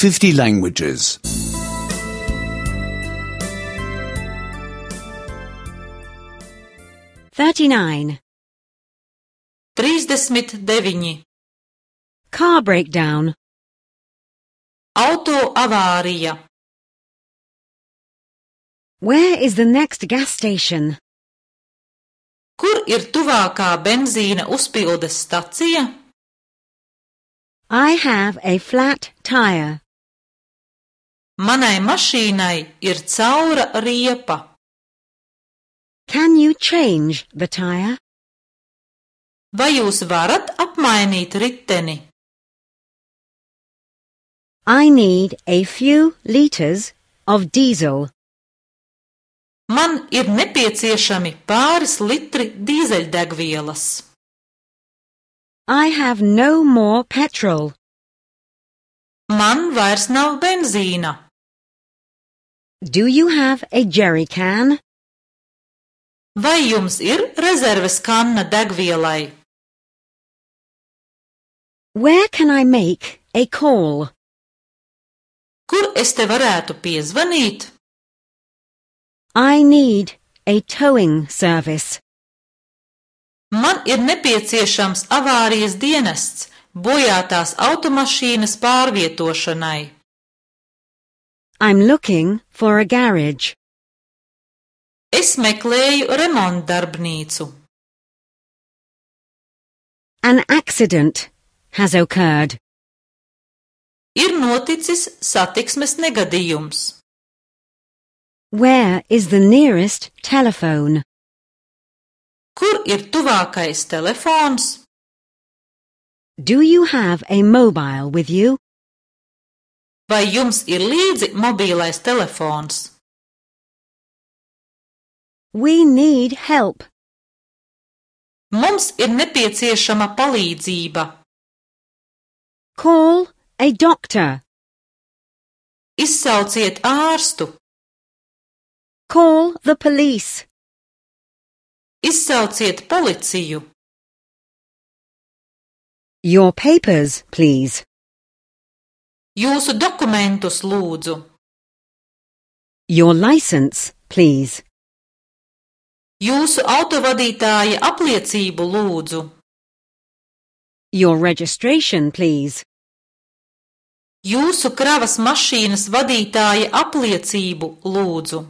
50 languages. 39. 39. Car breakdown. Auto avārija. Where is the next gas station? Kur ir tuvākā benzīna uzpildes stacija? I have a flat tire. Manai mašīnai ir caura riepa. Can you change the tire? Vai jūs varat apmainīt riteni? I need a few liters of diesel. Man ir nepieciešami pāris litri dīzeļdegvielas. I have no more petrol. Man vairs nav benzīna. Do you have a jerry can? Vai jums ir rezerves kanna degvielai? Where can I make a call? Kur es te varētu piezvanīt? I need a towing service. Man ir nepieciešams avārijas dienests bojātās automašīnas pārvietošanai. I'm looking for a garage. Es meklēju remontdarbnīcu. An accident has occurred. Ir noticis satiksmes negadījums. Where is the nearest telephone? Kur ir tuvākais telefons? Do you have a mobile with you? Vai jums ir līdzi mobīlais telefons? We need help. Mums ir nepieciešama palīdzība. Call a doctor. Izsauciet ārstu. Call the police. Izsauciet policiju. Your papers, please. Jūsu dokumentus lūdzu. Your license, please. Jūsu autovadītāja apliecību lūdzu. Your registration, please. Jūsu kravas mašīnas vadītāja apliecību lūdzu.